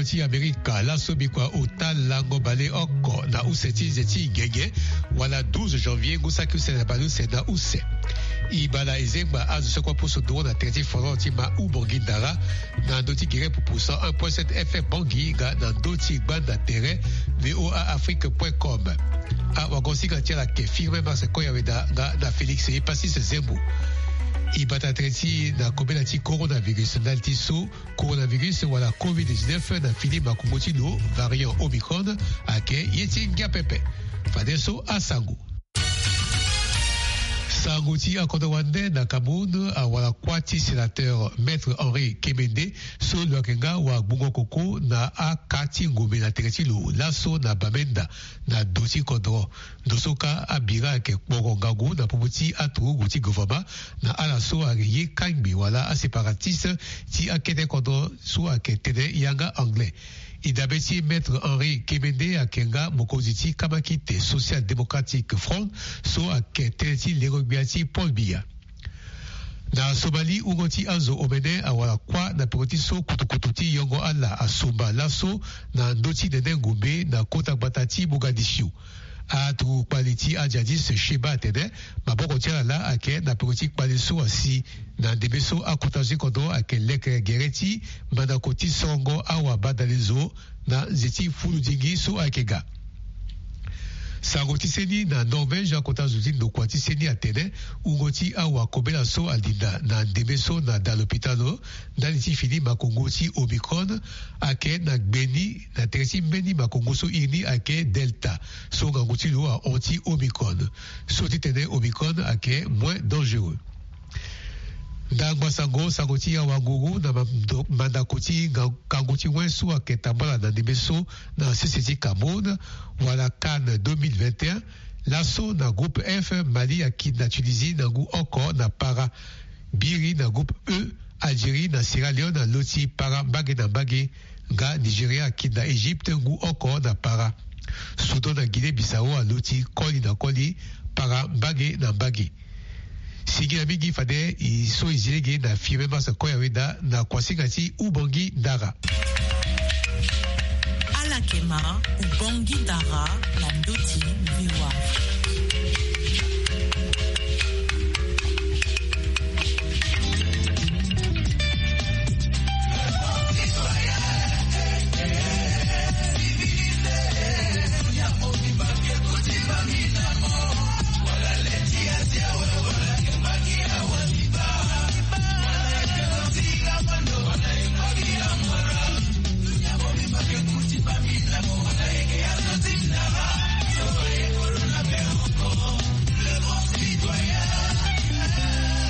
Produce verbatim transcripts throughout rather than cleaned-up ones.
ti Amerika laso bikua ota lango baleoko na use ti nze ti genge, wala douze janvier ngu saki use na baleuse na use. E baa na ezengba azo so kue apusu nduru na tere ti Florent ti ma Ubongi Ndara na ndö ti gere pupu cent un point sept F M Bangui nga na ndö ti gbanda tere V O A Afrique point com. Awagosinga ti ala ayeke Firmin Marcel Koyaweda nga na Félix Epasis Zembo. E bata tere ti na kobela ti coronavirus ndali ti so coronavirus wala covid dix-neuf na fini makongo ti lo, variant Omicron, ayeke ye ti ngia pepe. Fadeso asango. Sango ti akodro wande na Cameroun, awara kuâ ti sénateur Maître Henri Kemende so lo yeke nga wagbungo koko na aka ti ngombe na tere ti lo laso na Bamenda na do ti kodro. Ndo so kâ abira ayeke kporo ngangu na popo ti aturugu ti gouvernement na ala so ayeke ye kangbi wala aséparatistes ti akete kodro so ayeke tene yanga anglais. E dabe ti Maître Henri Kemende ayeke nga mokonzi ti kamakite Social Démocratique Front so ayeke tënë ti lengo-gbia ti Paul Biya. Na Somalie, wungo ti azo omene awara kuâ na peko ti so kutukutu ti yongo ala asumba laso na ndö ti nene ngombe na kota gbata ti Mogadiscio. Aturugu kpali ti ajihadiste Sheba atene maboko ti ala laa ayeke na peko ti kpali so asi na ndembe so akota zo ti kodro ayeke leke gere ti mandako ti sorongo awabadalezo na nze ti fuludingi so ayeke ga. Sango ti seni na Norvège, akota zo ti ndokua ti seni atene wungo ti awakobela so alinda na ndembe so na da lopitalo ndali ti fini makongo ti Omicron ayeke na gbe ni na tere ti mbeni makongo so iri ni ayeke Delta, so ngangu ti lo ahon ti Omicron. So ti tene Omicron ayeke moins dangereux. Ndangba sango, sango ti awanguru na mando-, mandako ti nga-, ngangu ti wen so ayeke tambala na ndembe so na sese ti Cameroun, wala CAN deux mille vingt et un, laso na groupe F, Mali akiri na Tunisie na ngu oko na para. Biri na groupe E, Algérie na Sierra Leone aloti para mbage na mbage, nga Nigeria akiri na Égypte ngu oko na para. Soudan na Guinée Bissau aloti koli na koli para mbage na mbage. Singila mingi fade e so e zi lege na Firmin Marcel Koyaweda na kuasinga ti Ubongi Ndara. Ala yeke ma Ubongi Ndara na ndö ti V O A.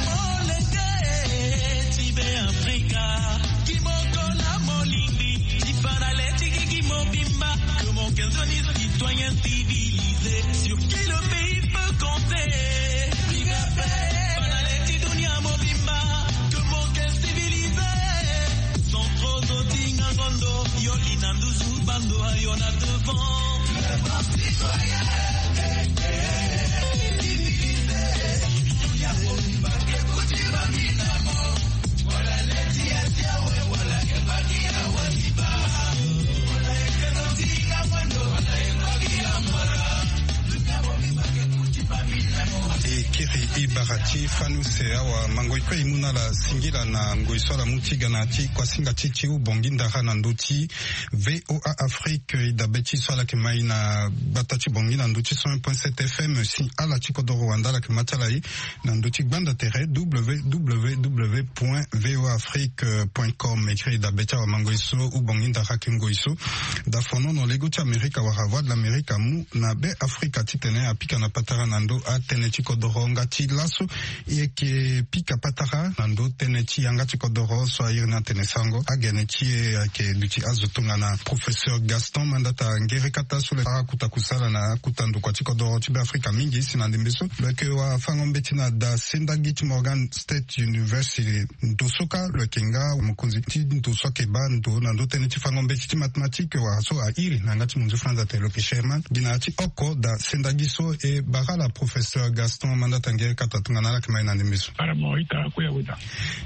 Molenge ti Be Afrika, kimoko na molingbi, ti fa na le ti gigi mobimba, que mon cœur de citoyen civilisé, sur qui le pays peut compter. Big up, eh. Fa na le ti dunia mobimba, que mon cœur civilisé, sans trop zotinga ngondo, yo lina nduzu bando, yo na devant. E kiri e bara ti fani use awa mango e kue e mu na ala singila na ngoi so ala mu ti ga na ya ti kuasinga ti ti Ubongi Ndara na ndö ti V O A Afrique. E dabe ti so ala yeke ma e na gbata ti Bangui na ndö ti cent un point sept F M. Si ala ti kodoro wande ala yeke ma ti ala e na ndö ti gbanda tere W W W point V O A Afrique point com. E kiri e dabe ti awamango e so Ubongi Ndara ayeke ngoi so da fonono lego ti Amerika wala Voix de l'Amérique amu na Be Afrika titene apika na patara na ndö atënë ti kodoro nga ti laso. E yeke pika patara na ndö tënë ti yanga ti kodoro so a iri ni atene sango. Agene ti e ayeke duti azo tongana professeur Gaston Mandata Ngerekata so lo yeke akota kusala na akota ndokua ti kodoro ti Be Afrika mingi. Si na ndembe so lo yeke wafango-mbeti na da sendagi ti Morgan State University. Ndo so kâ lo yeke nga mokonzi ti ndo so ayeke baa ndo na ndö tënë ti fango-mbeti ti mathématique wala so a iri na yanga ti monzi falanza atene lo yeke chairman. Gi na ya ti oko da sendagi so e bara ala professeur Gaston Mandata Ndata ngere kata tongana ala yeke ma e na ndembe so. Ala mo ita koya weda.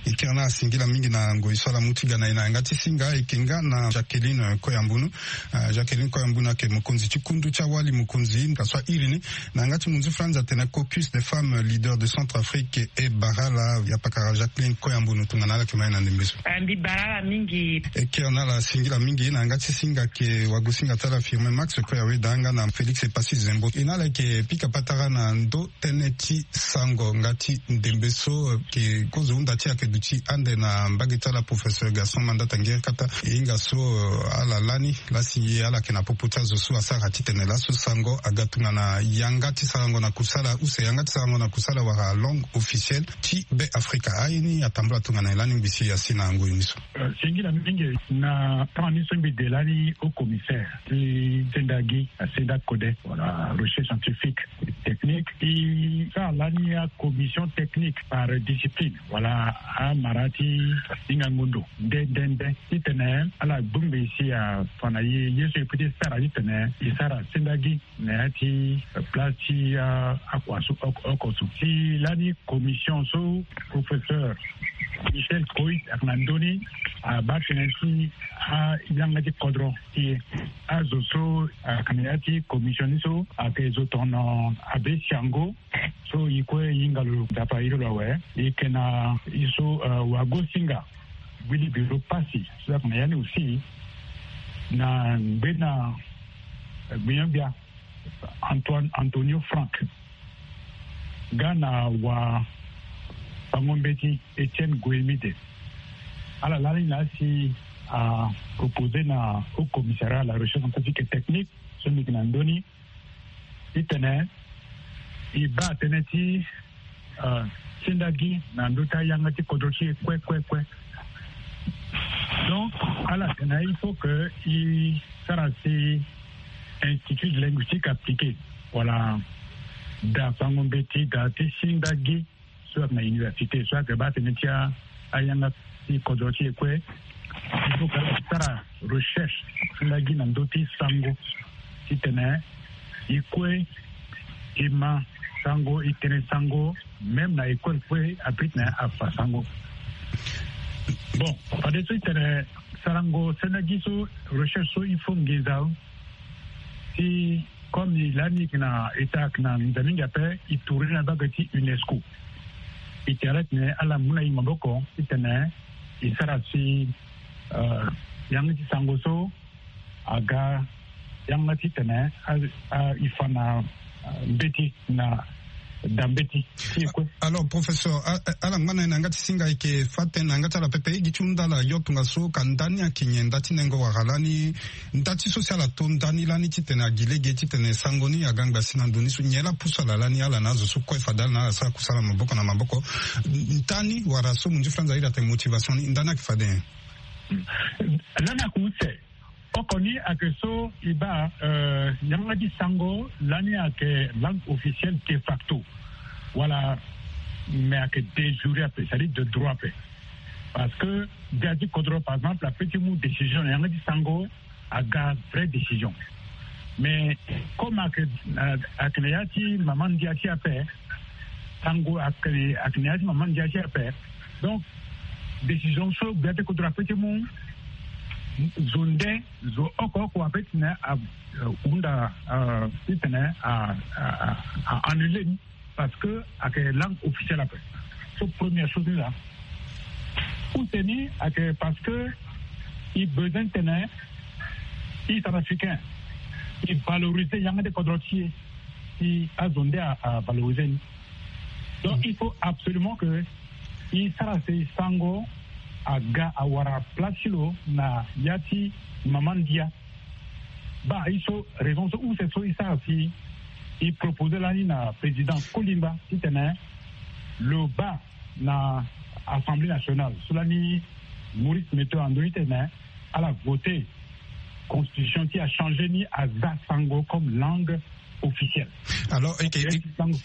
E kiri na ala singila mingi na ngoi so ala mu ti ga na e na yanga ti singa. E yeke nga na Jacqueline Koyambunu. Ah, Jacqueline Koyambunu ayeke mokonzi ti kundu ti awali mokonzi nga so a iri ni na yanga ti munzu Franza atene Caucus des femmes leaders de Centrafrique et Barala. Ya pakara Jacqueline Koyambunu tongana ala yeke ma e na ndembe so. Ah, mbi bara ala mingi. E kiri na ala singila mingi na yanga ti singa ayeke wagosinga ti ala Firmin Max Koya weda nga na Félix Epassi Zembo. E na ala yeke pika patara na ndo tënë ti sango nga ti ndembe so, eh, ke kozo hunda ti e ayeke duti ande na mbage ti ala professeur Gaston Mandata Ngeri Kata. E hinga so, eh, ala lani la si ala yeke na popo ti azo so asara titene laso sango aga tongana yanga ti sarango na kusala use yanga ti sarango na kusala wala langue officielle ti Be Afrika. Aye ni atambula tongana e lani ngbisi asi na ngoi ni so. Euh, singila mingi na temps ni so mbi de lani au commissaire ti senda gi na senda code wala recherche scientifique et technique. E sara lani acommission technique par discipline wala amara ti hinga ngundu nde nde nde titene ala gbingbi si afa na ye ye so e peut ti sara titene e sara senda gi na ya ti place ti akua so oko so. Si lani commission so professeur Michel Coit ayeke na ndö ni abaa tënë ti ayanga ti kodro ti e. Azo so ayeke na ya ti commission ni so ayeke zo tono abe siango so e kue e hinga lo nzapa iri lo awe. E yeke na e so wagosinga Willy Biro Passy so ayeke na ya ni aussi na ngbena gbinyo-gbia Antoine Antonio Frank nga na wafango-mbeti Etienne Goemide. Ala lani na si apropose na Haut Commissariat à la Recherche Scientifique et Technique so mbi yeke na ndö ni titene e baa tënë ti senda gi na ndö ti ayanga ti kodro ti e kue kue kue. Donc ala tene il faut que e sara si institut de linguistique appliquée wala da fango-mbeti da ti senda gi so ayeke na université so ayeke baa tënë ti ayanga ti kodro ti e kue. Il faut que ala sara recherche ti lagi na ndö ti sango titene e kue e ma sango e tene sango même na école kue abrite na afa sango. Bon, fadeso e tene sarango senda gi so recherche so il faut nginza ti comme e lani e yeke na eta ayeke na nginza mingi ape e tourner na mbage ti UNESCO. E tene ala tene ala mu na e maboko titene e sara si yanga ti sango so aga yanga titene e fa na mbeti na da mbeti ti e kue. Alors professeur, ala ngba na e na yanga ti singa e yeke fa tënë na yanga ti ala pepe e gi ti hunda ala yo tongaso ka nda ni ayeke nyen nda ti nengo wala lani nda ti so si ala to nda ni lani titene agi lege titene sango ni aga ngbasi na ndo ni so nyen laa pusu ala lani ala na azo so kue fade ala na ala sara kusala maboko na maboko. Nda ni wala so munzu franza iri atene motivation ni nda ni ayeke fade nyen? Lani ayeke use oko ni ayeke so e baa yanga ti sango lani ayeke langue officielle de facto wala mais ayeke de jure ape c'est-à-dire de droit ape. Parce que gbia ti kodro par exemple ape ti mu décision na yanga ti sango aga vraie décision. Mais comme ayeke na ya ti mama ndia ti ape sango ayeke na ya ti mama ndia ti ape. Donc décision so gbia ti kodro ape ti mu zo nde zo oko oko ape titene ahunda titene a annule ni parce que ayeke langue officielle ape. So première chose ni laa use ni ayeke parce que e besoin titene e centrafricain e valoriser yanga ti kodro ti e si azo nde avaloriser ni. Donc il faut absolument que e sara si sango aga awara place ti lo na ya ti mama ndia. Baa e so raison so use so e sara si e proposer lani na président Kolimba titene lo baa na assemblée nationale so lani Maurice Meto ando ni titene ala voter constitution ti achanger ni aza sango comme langue officiel. Alors eke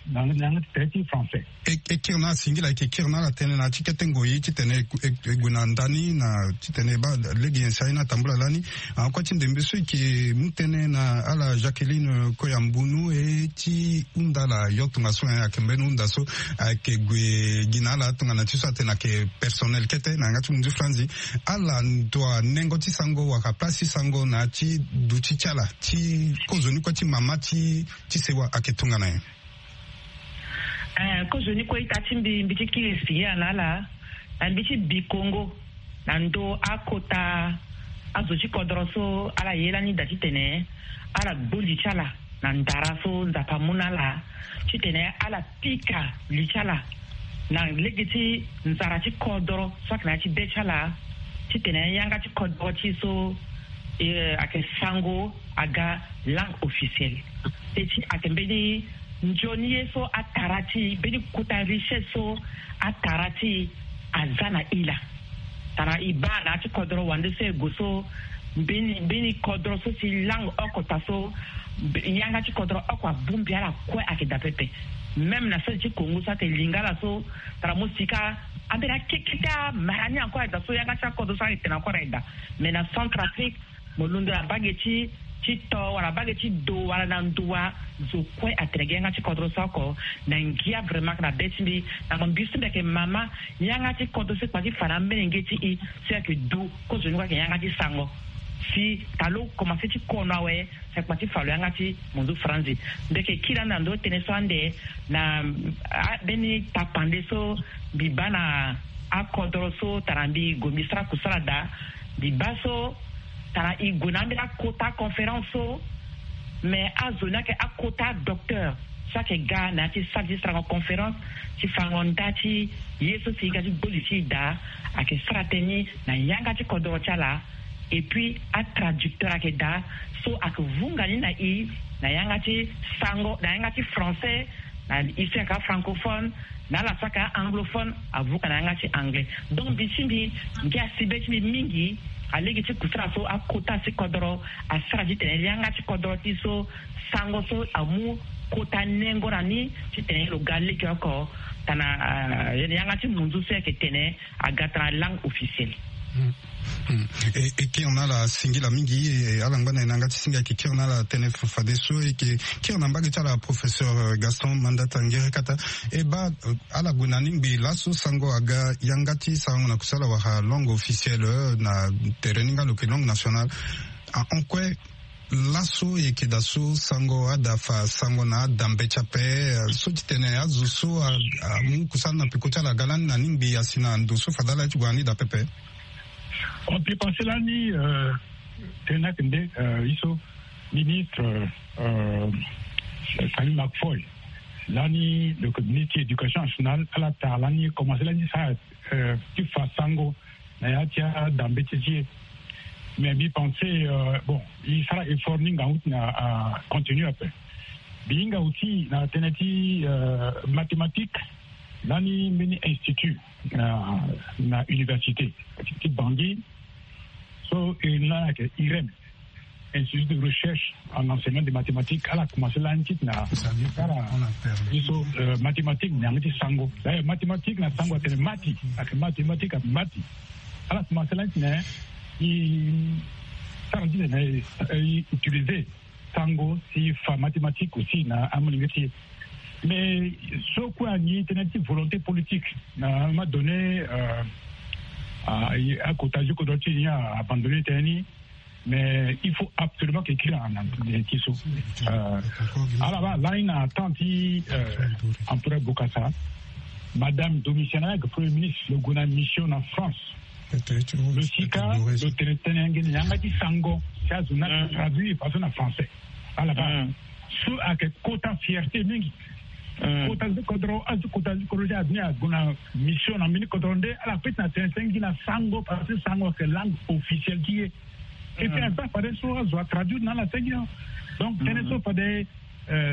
na yanga ti tere ti français. E kiri na ala singila, eke kiri na ala tënë na ya ti kete ngoi titene e gue na ndani na titene e baa lege nyen si aye ni atambula lani. Akua ti ndembe so eke mu tënë na ala Jacqueline Koyambunu e ti hunda ala yo tongaso, ayeke mbeni hunda so ayeke gue gi na ala tongana ti so atene ayeke personnel kete na yanga ti munzu franzi. Ala ndo anengo ti sango wala place ti sango na ya ti duti ti ala ti kozoni kue ti mama ti ti sewa ayeke tongana nyen? Eh, kozoni kue ita ti mbi, mbi ti kiri singila na ala na mbi ti bi kongo na ndo akota azo ti kodoro so ala ye lani daa titene ala gbo li ti ala na ndara so Nzapa amu na ala titene ala pika li ti ala na lege ti nzara ti kodoro so ayeke na ya ti be ti ala titene yanga ti kodoro ti e so eh, ayeke sango aga langue officielle. Pe ti ayeke mbeni nzoni ye so atara ti e, mbeni kota richesse so atara ti e aza na e laa. Tara e baa na ya ti kodoro wande so e gue so mbeni mbeni kodoro so si langue oko ta so mbe- yanga ti kodoro oko abongbi ala kue ayeke daa pepe. Même na sese ti Congo so ayeke Lingala so tara mo si ka ambeni akekete amara ni encore ayeke daa so yanga ti akodoro so ayeke tene encore ayeke daa. Mais na Centrafrique mo londo na mbage ti ti to wala mbage ti do wala na nduwa. Zo kue atene gi yanga ti kodro so oko na ngia vraiment na be ti mbi. Na mo mbi so mbi ayeke mama yanga ti kodro so e kpa ti fa na amolenge ti e so e ayeke du kozoni kue ayeke yanga ti sango si talo komanse ti kono awe. Si e kpa ti fa lo yanga ti munzu franzi mbi ayeke kiri ande na ndö ti tënë so ande na ambeni tapande so mbi baa na akodro so tara mbi gue mbi sara kusala daa. Mbi baa so tara e gue na ambeni akota conférence so. Mais azo ni ayeke akota docteur so ayeke ga na ya ti sara ti sarango conférence ti farango nda ti ye so si e ga ti gbo li ti e daa. Ayeke sara tënë ni na yanga ti kodoro ti ala. Et puis atraducteur ayeke daa so ayeke vunga ni na e na yanga ti sango na yanga ti français na e so ayeke afrancophone na ala so ayeke a-anglophone. Avuka na yanga ti anglais. Donc mbi ti mbi ngia si be ti mbi mingi alege ti kusara so akota si kodoro asara titene yanga ti kodoro ti so sango so amu kota nengo na ni titene lo ga lege oko tana yanga ti munzu so ayeke tene aga tana langue officielle. E kiri na ala singila mingi. Ala ngba na e na yanga ti singa e yeke kiri na ala tënë fadeso e yeke kiri na mbage ti ala professeur Gaston Mandata Ngerekata. E baa ala gue na ni ngbii laso sango aga yanga ti sarango na kusala wala langue officielle na tere ni nga lo yeke langue nationale. Ahon kue laso e yeke daa so sango ada fa sango na adambe ti ape so ti tene azo so amu kusala na peko ti ala aga lani na ni ngbii asi na ndo so fade ala ye ti gue na ni daa pepe. On peut penser lani tena kende iso ministre Salim Makfoy lani le ministre ti éducation nationale ala tara lani commencer lani sa ti fa sango na ya ti adambe ti ti e. Mais mbi pense bon e sara effort ni ngangu ti na continue ape. Mbi hinga aussi na tënë ti mathématique lani mbeni institut na université ti Bangui so e na ayeke irem, institut de recherche en enseignement de mathématiques ala commencer lani ti na sara biso mathématique na yanga ti sango. D'ailleurs mathématique na sango atene mati ayeke mathématique ayeke mati. Ala commencer lani ti na e sara ti na e utiliser sango si fa mathématique aussi na amolenge ti e. Mais so kue ani tënë ti volonté politique na ma donné akota ti kodro ti ni abandonné tënë ni. Mais il faut absolument que kiri na ti so ala baa lani na temps ti empereur Bokassa madame Domitien ayeke premier ministre lo gue na mission na France. Lo sika lo tene tënë yanga ti sango si azo ni ayeke traduire façon na français. Ala baa so ayeke kota fierté mingi. Kota ti kodro azo kota ti kodro ti azo ni ague na mission na mbeni kodro nde ala peut na tene tënë gi na sango parce que sango ayeke langue officielle ti e. Et puis aza fade so azo atraduire na ala tënë gi. Donc tënë so fade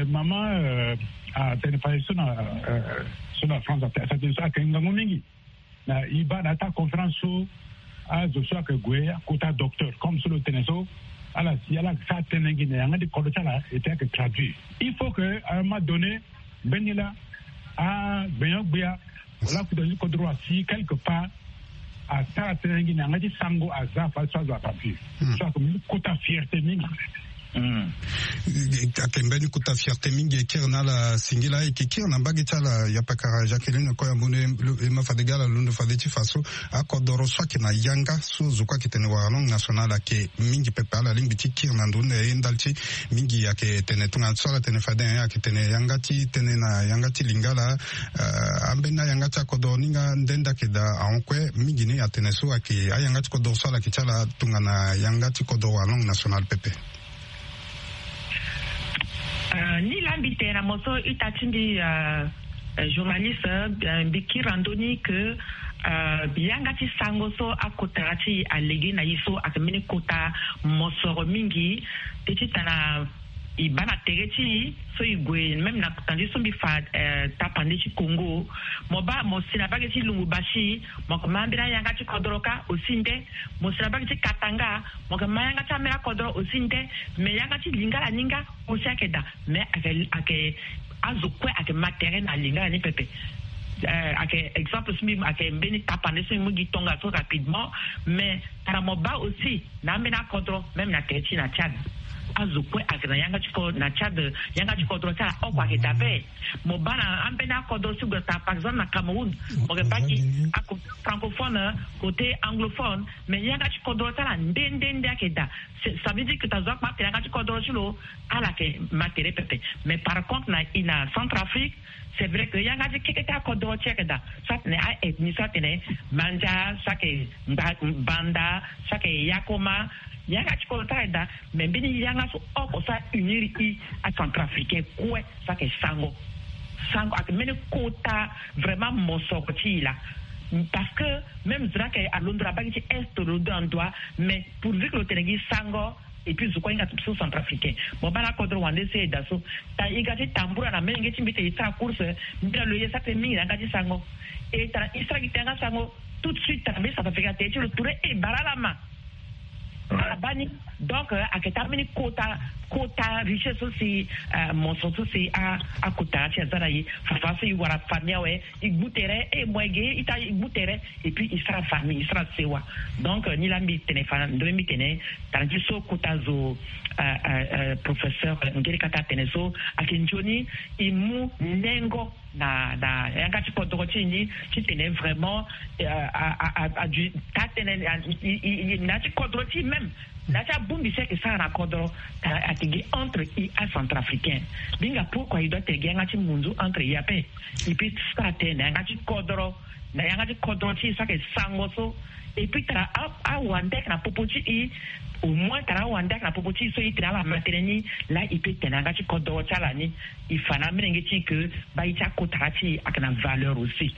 mama atene fade so na so na France atene so ayeke ngangu mingi. Na e baa na ata conférence so azo so ayeke gue akota docteur comme so lo tene so ala si ala sara tënë gi na yanga ti kodro ti ala ete ayeke traduire. Il faut que à un moment donné mbeni laa agbenyo-gbia wala akuta ti kodro asi quelque part asara tënë gi na yanga ti sango aza fa so azo atraduire. So ayeke mbeni kota fierté mingi. Ayeke mbeni kota fierté mingi e kiri na ala singila e yeke kiri na mbage ti ala yapakara Jacqueline Koyambono e ma fade gi ala londo fade ti fa so akodoro so ayeke na yanga so zo kue ayeke tene wara langue nationale ayeke mingi pepe ala lingbi ti kiri na ndoni na ye ndali ti mingi ayeke tene tongana so ala tene fade ayeke tene yanga ti tënë na yanga ti lingala. Ambeni ayanga ti akodoro ni nga nde nde ayeke daa ahon kue mingi ni atene so ayeke ayanga ti kodoro so ala yeke ti ala tongana yanga ti kodoro wala langue nationale pepe. Ni laa mbi tene na mo so ita ti mbi journaliste, mbi kiri na ndö ni ke yanga ti sango so akota ti e alege na e so ayeke mbeni kota mosoro mingi. Te ti tana e baa na tere ti e so e gue même na kota ndi so mbi fa tapande ti Congo. Mo baa mo si na mbage ti lumbu basi mo yeke ma ambeni ayanga ti kodoro kâ aussi nde. Mo si na mbage ti Katanga mo yeke ma yanga ti ambeni akodoro aussi nde. Mais yanga ti lingala ni nga aussi ayeke daa. Mais ayeke ayeke azo kue ayeke ma tere na lingala ni pepe. Ayeke exemple so mbi ayeke mbeni tapande so mbi mu gi tongaso rapidement. Mais tara mo baa aussi na ambeni akodro même na tere ti na Tchad. Azo kue ayeke na yanga ti kodro na Tchad. Yanga ti kodro ti ala oko ayeke dabe. Mo baa na ambeni akodro so gue tara par exemple na Cameroun. Mo yeke baa gi akodro francophone, côté anglophone. Mais yanga ti kodro ti ala nde nde nde ayeke daa. Ça veut dire que ta zo akpa atene yanga ti kodro ti lo ala yeke ma tere pepe. Mais par contre na i na Centrafrique, c'est vrai que yanga ti keke ti akodro ti ayeke daa. So atene a ethnie so atene Mandja, so ayeke Banda, so ayeke Yakoma. Yanga ti kodro ti ayeke daa. Mais mbeni yanga so oko so a unir i aCentrafricain kue so ayeke sango. Sango ayeke mbeni kota vraiment mosoro ti i laa. Parce que même zo ni ayeke alondo na mbage ti est, londo na ndo wa. Mais pourvu que lo tene gi sango. Et puis zo kue ahinga so Centrafricain. Mo baa na akodro wande so e daa so. Tara e ga ti tambura na molenge ti mbi tene e sara course. Mbi na lo ye sara tënë mingi na yanga ti sango. E tara e sara gi tënë yanga sango. Tout de suite tara mbeni Centrafricain atene ti lo ture e bara ala ma. Ala baa ni. Donc ayeke taa mbeni kota kota richesse so si mosoro so si akota ti aza na e. Fafa so e wara famille awe. E gbu tere e mo e ge ita e gbu tere. Et puis e sara famille e sara sewa. Donc ni laa mbi tene fa na ndö ni mbi tene tara ti so kota zo professeur ngeri kata atene so ayeke nzoni e mu nengo na na yanga ti kodro ti e ni ti tene vraiment a a a a du taa tënë na yanga ti kodro ti e même. Na yanga ti abongbi so ayeke sara na kodro. Tara ayeke gi entre e aCentrafricain. Mbi hinga pourquoi e doit tene gi yanga ti munzu entre e ape. E puis sara tënë na yanga ti kodro na yanga ti kodro ti e so ayeke sango so. Et puis tara awande ayeke na popo ti e. Au moins tara awande ayeke na popo ti e so e tene ala ma tënë ni. Laa e peut tene na yanga ti kodro ti ala ni. E fa na amolenge ti e ke mbai ti akotara ti e ayeke na valeur aussi.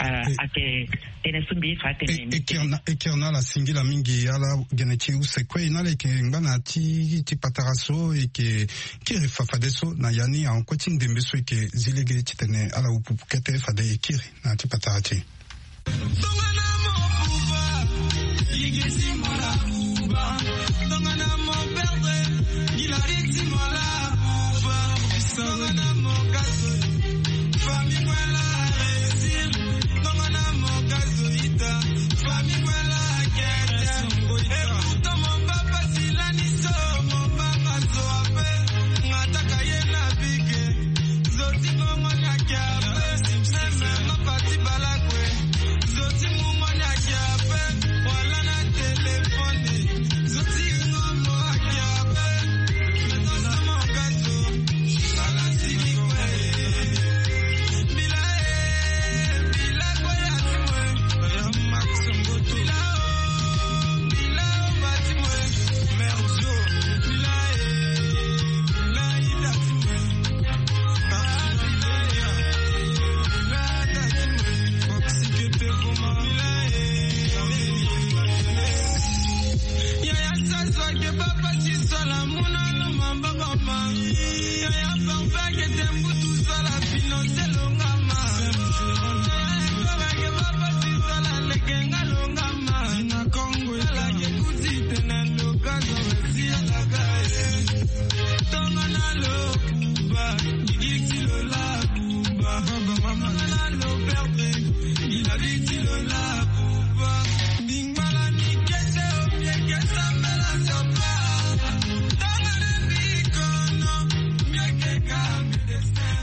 Ayeke tënë so mbi ye fa atene. E kiri na ala singila mingi ala gene ti use kue e na ala yeke ngba na ti ti patara so e yeke kiri fa fadeso na ya ni ahon kue ti ndembe so e yeke zi lege titene ala upupu kete fade e kiri na ya ti patara ti e.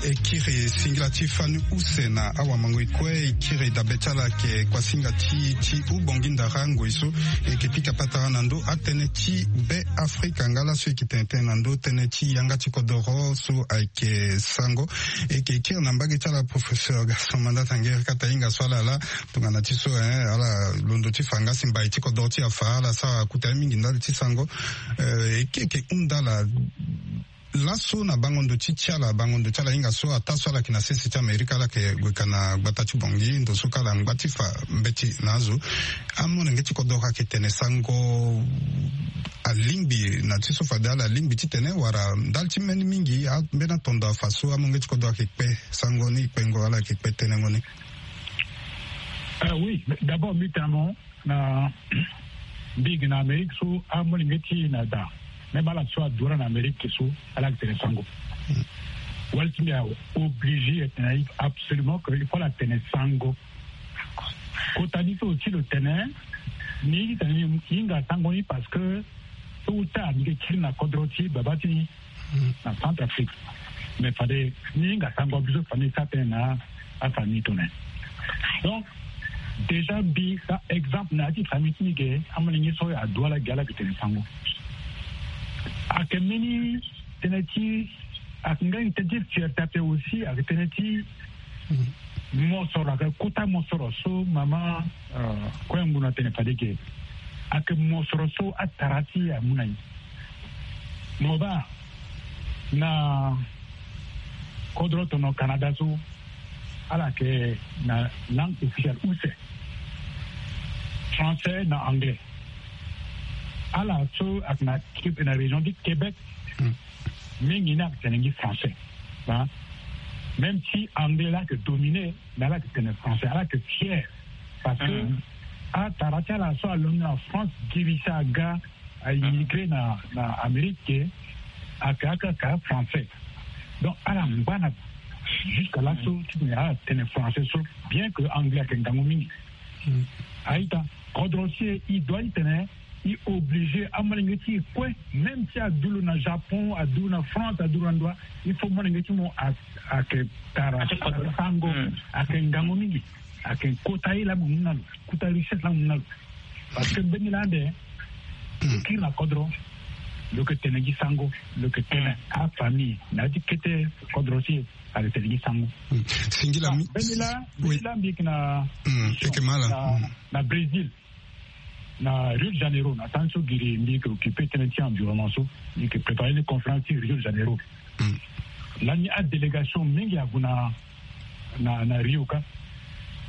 E kiri singila ti fani use na awamangoi kue. E kiri dabe ti ala ayeke kuasinga ti ti hubongi ndara ngoi so e yeke pika patara na ndö atënë ti Be Afrika nga laso e yeke tene tënë na ndö tënë ti yanga ti kodoro so ayeke sango. E yeke kiri na mbage ti ala professeur Gaston Mandata Nguerekata, hinga so ala laa tongana ti so, eh, ala londo ti fa nga si mbai ti kodoro ti afa ala sara kota ye mingi ndali ti sango. Eh, e yeke hunda ala laso na bango ndo ti ti ala, bango ndo ti ala hinga so ataa so ala yeke na sese ti Amerika, ala yeke gue ka na gbata ti Bangui, ndo so ka ala ngba ti fa mbeti na azo. Amolenge ti kodoro ayeke tene sango alingbi na ti so fade ala lingbi ti tene wala ndali ti mbeni mingi ambeni atondo afa so amolenge ti kodoro ayeke kpe sango ni, kpengo ala yeke kpe tenengo ni? Ah oui, d'abord mbi tene mo na mbi gi na Amérique so amolenge ti na da, même ala so adu ala na Amérique so ala yeke tene sango. Wali ti mbi aobligé atene absolument que il faut ala tene sango. Kota ni so ti lo tene ni tene ni hinga sango ni parce que so uta mbi ke kiri na kodro ti baba ti ni na Centrafrique. Mais fade ni hinga sango biso famille sa tene na afamille tone. Donc déjà mbi sa exemple na ya ti famille ti ni ke amolenge so adu ala gi ala yeke tene sango. Ayeke mbeni tënë ti ayeke nga tënë ti fierté ape aussi ayeke tënë ti mosoro, ayeke kota mosoro so mama, euh, kue ngu na tene fade ke ayeke mosoro so atara ti e amu na e. Mo baa na kodro tono Canada so ala yeke na langue officielle use, français na anglais. Ala so ayeke na, na région ti Québec, mingi ni ayeke tene gi français. Hein? Même si anglais la ayeke dominé, mais ala yeke tene français, ala yeke fier. Parce que atara ti ala so alondo na France girisa aga aimmigré na, na Amérique, ayeke akaka français. Donc ala ngba na jusqu'à laso ti tene ala tene français so, bien que anglais ayeke ngangu mingi. Aita, kodro si e, e doit ti tene e obligé amolenge ti e kue, même si adu lo na Japon, adu lo na France, adu lo na ndoa, il faut molenge ti mo a, ayeke tara sango, ayeke ngangu mingi, ayeke kota ye laa mo mu na lo, kota richesse laa mo mu na lo. Parce que mbeni laa ande lo kiri na kodro, lo yeke tene gi sango, lo yeke tene afamille na ya ti kete kodro si e, ayeke tene gi sango. Singila mi- mbeni laa, mbeni laa mbi yeke na, yeke ma ala na, na Brésil, na Rio de Janeiro, na temps so giri mbi yeke occupé tënë ti environnement so, mbi yeke préparé ni conférence ti Rio de Janeiro. Lani adélégation mingi ague na, na, na Rio ka.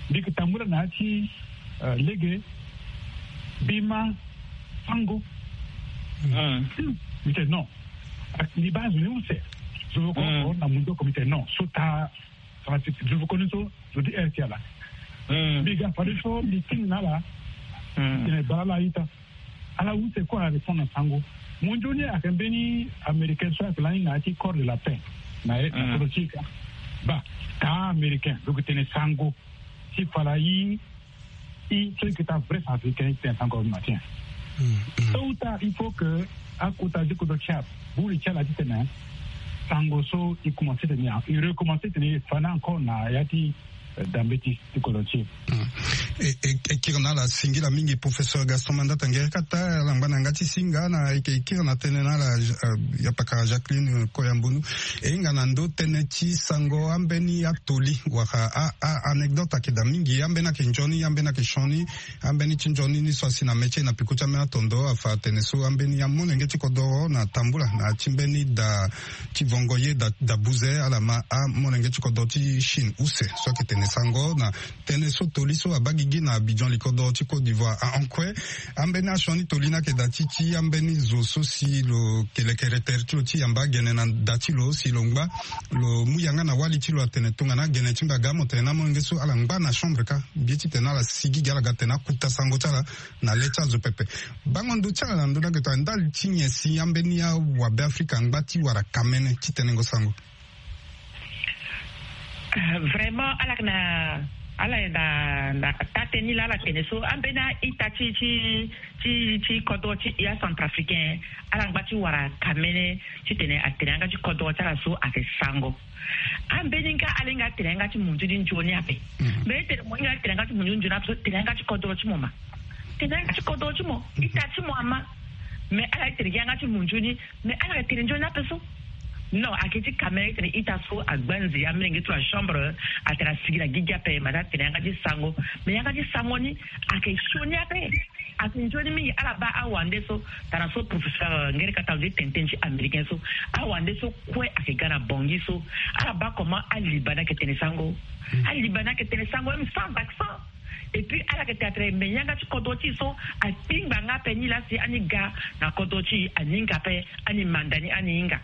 Mbi yeke tambula na ya ti, euh, lege, mbi ma sango. Mbi tene non. Mbi baa zo ni use. Zo oko na mundu oko, mbi tene non. So taa Zo oko ni so zo ti heure ti ala. Mbi ga fade so mbi tingi na ala. Tene baa ala a-ita. Ala use kue ala répondre na sango. Mo nzoni ayeke mbeni américain so ayeke lani na ya ti corps de la paix na, na kodro ti e ka. Baa taa américain lo yeke tene sango. Si fala i i so i yeke taa vrai centrafricain i tene sango matin. So uta il faut que akota ti kodro ti aburi ti ala titene sango so i commencé tene i recommence tene i fa ni encore na ya ti, euh, dambe ti ti kodro ti e. E, e, e kiri na ala singila mingi professeur Gaston Mandata Nguerekata, ala ngba na yanga ti singa na e yeke kiri na tënë na ala, euh, yapakara Jacqueline, euh, Koyambonu. E hinga na ndö tënë ti sango ambeni atoli wala a, a anecdote ayeke daa mingi, ambeni ayeke nzoni, ambeni ayeke sioni. Ambeni ti nzoni ni so asi na mê ti e na peko ti ambeni atondo afa atene so ambeni amolenge ti kodoro na tambula na ya ti mbeni da ti vongo ye da, da buze ala ma amolenge ti kodoro ti Chine use so ayeke tene sango na tënë so toli so abaa gigi na Abidjan, likodoro ti Côte d'Ivoire. Ahon kue ambeni asioni toli ni ayeke daa ti ti ambeni zo so si lo yeke lekere tere ti lo ti yamba agene na da ti lo si lo ngba lo mu yanga na wali ti lo atene tongana agene ti mbi aga mo tene na amolenge so ala ngba na chambre ka. Mbi ye titene ala sigi gi ala ga tene akota sango ti ala na le ti azo pepe. Bango ndo ti ala na ndö ni ayeke tongana ndali ti nyen si ambeni awabe Afrika angba ti wara kamene ti tenengo sango? Euh, vraiment ala yeke na Ala ye na, na tate ni laa ala tene so ambeni a-ita ti, ti, ti, ti kodro ti ya centrafricain, ala ngba ti wara kamene titene atene yanga ti kodro ti ala so ayeke sango. Ambeni nga ala hinga atene yanga ti munzu ni nzoni ape. Mais e tene mo hinga atene yanga ti munzu ni nzoni ape so, tene yanga ti kodro ti mo ma. Tene yanga ti kodro ti mo, ita ti mo ama. Mais ala ye tene gi yanga ti munzu ni, mais ala yeke tene nzoni ape so. Non, ayeke ti kamene titene ita so agba nze ya, amolenge ti lo achambre, atene asigi na gigi ape, ma ata tene yanga ti sango. Mais yanga ti sango ni ayeke sioni ape. Ayeke nzoni mingi. Ala baa awande so, tara so professeur, euh, Ngere Kata, alondo ti tene tënë ti américain so, awande so kue ayeke ga na Bangui so. Ala baa comment aliba ni ayeke tene sango. Aliba ni ayeke tene sango même sans accent. Et puis ala yeke tene atene me yanga ti kodro ti e so akpingba nga ape ni laa si ani ga na kodro ti e, ani hinga ape ani manda ni, ani hinga.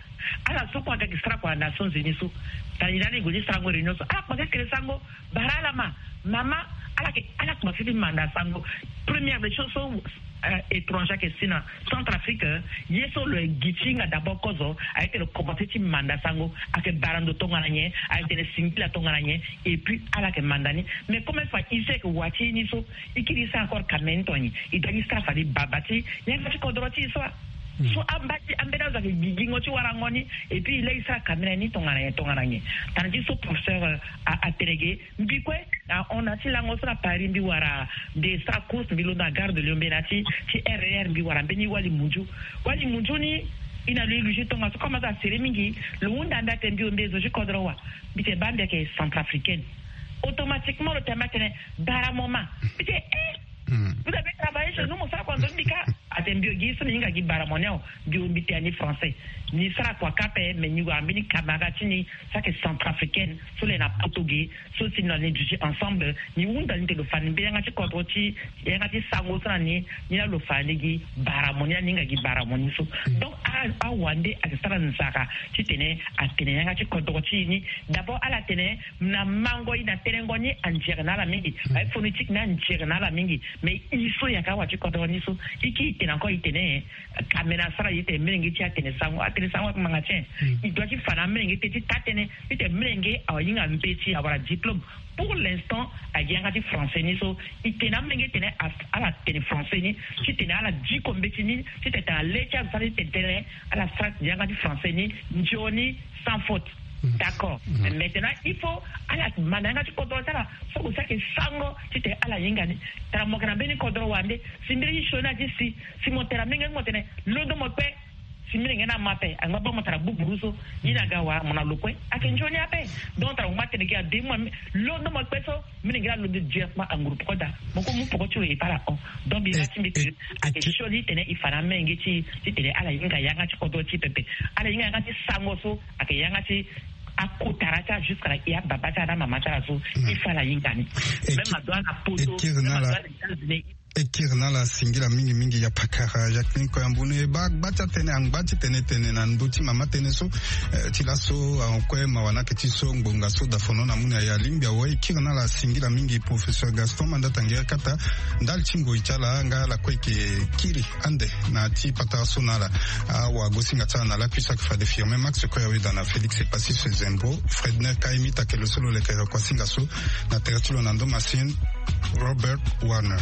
Ala so kue aga gi sara kua na Nations Unies so. Tani lani gue ti sarango réunion so, ala kpasi tene sango. Bara ala ma, mama, ala yeke, ala kpasi ti manda sango. Première des choses so, euh, étranger ayeke si na Centrafrique, euh, ye so lo gi ti hinga d'abord kozo, aye ti lo komanse ti manda sango. Ayeke bara ndo tongana nyen, aye tene singila tongana nyen. Et puis ala yeke manda ni. Mais comme e fa e so e yeke wa ti e ni so, e kiri e sara encore kamene ni tongana nyen? E doit ti sara fade baba ti yanga ti kodro ti e so. So amba ti ambeni azo ayeke gigingo ti warango ni. Et puis e laa e sara kamene ni tongana nyen, tongana nyen? Tana ti so professeur, euh, a, atene ge. Mbi kue, na hon na ti lango so na Paris, mbi wara, mbi sara course, mbi londo na Gare de Lyon, mbi na ti, ti R E R, mbi wara mbeni wali munzu. Wali munzu ni, e na lo e luge tongaso, comme azo asere mingi, lo hunda mbi atene mbi, mbi zo ti kodro wa? Mbi tene baa mbi ayeke centrafricaine. Automatiquement lo tene mbi atene bara mo ma. Mbi tene eh, vous avez travaillé chez nous, mo sara kua nzoni? Mbi ka. Atene mbi gi so mbi hinga gi bara mo ni awe. Mbi, mbi tene ni français. Ni sara kua ka ape, mais ni wara mbeni camarade ti ni so ayeke centrafricaine, so lo yeke na poto ge, so si na ni duti ensemble, ni hunda ni tene lo fa ni mbeni yanga ti kodro ti, yanga ti sango so na ni, ni laa lo fa ni gi bara mo ni, ni hinga gi bara mo ni so. Donc a, awande ayeke sara nzara titene atene yanga ti kodro ti e ni. D'abord ala tene na mango, e na tenengo ni anzere na ala mingi. Aye phonétique ni anzere na ala mingi. Mais e so e yeke awa ti kodro ni so, e kiri e tene encore e tene, eh, kamene asara e tene molenge ti e atene sango, atene sango ayeke ngbanga ti e. E doit ti fa na amolenge ti e ti taa-tënë titene molenge ahinga mbeti, awara diplôme. Pour l'instant, ayeke yanga ti français ni so, e tene na amolenge titene a, ala tene français ni, titene ala diko mbeti ni, titene tene na le ti azo sara ti tene tënë, ala sara yanga ti français ni nzoni sans faute. D'accord. Maintenant il faut ala manda yanga ti kodro ti ala so lo sara ayeke sango titene ala hinga ni. Tara mo yeke na mbeni kodro wande, si mbeni ti sioni ati si, si mo tene na molenge ni mo tene londo mo kpe. Si molenge ni ama ape, angba baa mo tara buburu so, ni na ga wara mo na lo kue. Ayeke nzoni ape. Donc tara mo ngba tene gi ade mo, londo mo kpe so, molenge ni alondo directement anguru poko daa. Mo kue mu poko ti lo e baa ala hon. Donc mbi ma ti mbi tene ayeke sioni titene e fa na amolenge ti e titene ala hinga yanga ti kodro ti e pepe. Ala hinga yanga ti sango so ayeke yanga ti akotara ti ala jusqu'à la, e ababa ti ala na amama ti ala so. E fa ala hinga ni. Même adoit na poto, même adoit na États-Unis. E kiri na ala singila mingi mingi ya pakara Jacqueline Koyambu. E baa gba ti atënë, angba ti tene tene na ndö ti mama tënë so, eh, ti laso, ah, kue mawa ni ayeke ti so ngbonga so dafono na mu na ya lingbi awe. E kiri na ala singila mingi professeur Gaston Mandata Nguerekata, ndali ti ngoi ti ala nga ala kue e yeke kiri ande na ti patara so na ala. Awagosinga ti ala na lakui so ayeke fade Firmin Max Koyaweda na Félix Epassis Sezembo, Fredner Kaimit ayeke lo so lo lekere kuasinga so na tere ti lo na ndo masini. Robert Warner.